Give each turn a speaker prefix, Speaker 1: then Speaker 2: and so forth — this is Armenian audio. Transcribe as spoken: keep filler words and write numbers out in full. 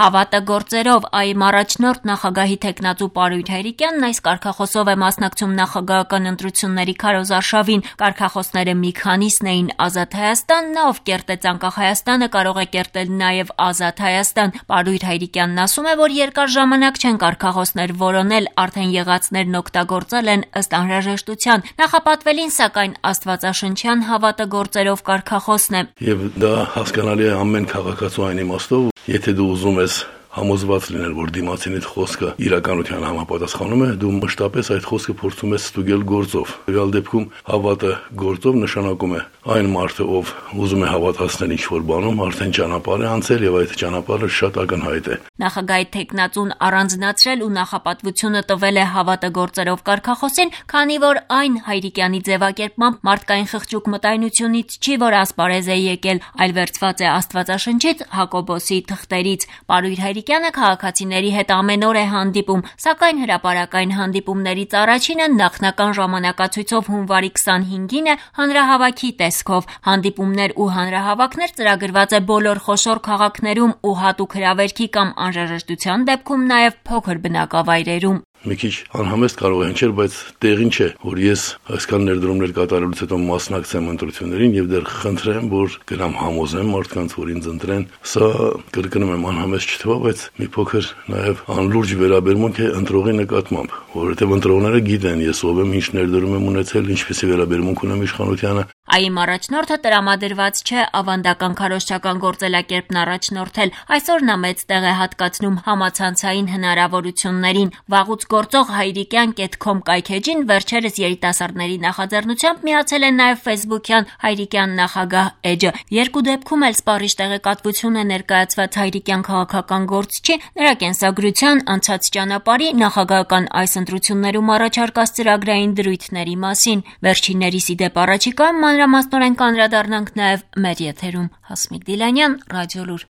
Speaker 1: Հավատը գործերով այ առաջնորդ նախագահի թեկնածու Պարույր Հայրիկյանն այս կարգախոսով է մասնակցում նախագահական ընտրությունների քարոզարշավին։ Կարգախոսները մի քանիսն էին՝ Ազատ Հայաստան, նա ով կերտեց անկախ Հայաստանը կարող է կերտել նաև Ազատ Հայաստան։ Պարույր Հայրիկյանն ասում է, որ երկար ժամանակ չեն կարգախոսներ որոնել, արդեն եղածներն օգտագործել են ըստ անհրաժեշտության։ Նախապատվելին սակայն աստվածաշնչյան հավատը գործերով կարգախոսն է։
Speaker 2: Եվ դա հասկանալի է ամեն քաղաքացու այն իմաստով, եթե դու ուզում ես համոզված լինել, որ դիմացինիդ խոսքը իրականության համապատասխանում է, դու մշտապես այդ խոսքը փորձում ես ստուգել գործով։ Եղալ դեպքում հավատը գործով նշանակում է այն մարդը, ով ուզում է հավատացնել ինչ-որ բանում, արդեն ճանապարհ է անցել եւ այդ ճանապարհը շատ ակնհայտ է։
Speaker 1: Նախագահի թեկնածուն առանձնացրել ու նախապատվությունը տվել է հավատը գործերով կարգախոսին, քանի որ այն Հայրիկյանի ձևակերպմամբ մարդկային խղճուկ մտայնությունից չի, որ ասպարեզ է եկել, այլ վերցված է Աստվածաշնչից, Հակոբոսի թղթերից։ Պարույր Հայրիկյանը քաղաքացիների հետ ամեն օր է հանդիպում, սակայն հրապարակային հանդիպումներից առաջինը նախնական ժամանակացույցով հունվարի քսանհինգին է հանրահավաքի տեսքով։ Հանդիպումներ ու հանրահավաքներ ծրագրված է բոլոր խոշոր քաղաքներում ու հատուկ հրավերքի կամ անհրաժեշտության դեպքում նաև փոքր բնակավայրերում։
Speaker 2: Մի քիչ անհամեստ կարող է հնչել, բայց տեղին չէ, որ ես այսքան ներդրումներ կատարելուց հետո մասնակցեմ ընտրություններին եւ դեռ խնդրեմ, որ գնամ համոզեմ մարդկանց, որ ինձ ընտրեն։ Սա կրկնում եմ անհամեստ չթվա, բայց մի փոքր նաեւ անլուրջ վերաբերմունք է ընտրողի նկատմամբ, որովհետեւ ընտրողները գիտեն ես ով եմ, ինչ ներդրում եմ ունեցել, ինչպեսի վերաբերմունք ունեմ իշխանությանը։
Speaker 1: Այ առաջնորդը տրամադրված չէ ավանդական քարոզչական գործելակերպն առաջնորդել։ Այսօր նա մեծ տեղ է հատկացնում համացանցային հնարավորություններին։ Վաղուց գործող հայրիկյան կետ քոմ կայքեջին վերջերս երիտասարդների նախաձեռնությամբ միացել է նաև ֆեյսբուքյան Հայրիկյան նախագահ էջը։ Երկու դեպքում էլ սպառիչ տեղեկատվություն է ներկայացված Հայրիկյան քաղաքական գործչի, նրա կենսագրության, անցած ճանապարհի, նախագահական այս ընտրություններում առաջարկած ծրագրային դրույթների մասին։ Վերջիններիս ի դեպ առաջիկայում մանրամասնորեն կանդրադառնանք նաև մեր եթերում։ Հասմիկ Դիլանյան, Ռադիոլուր։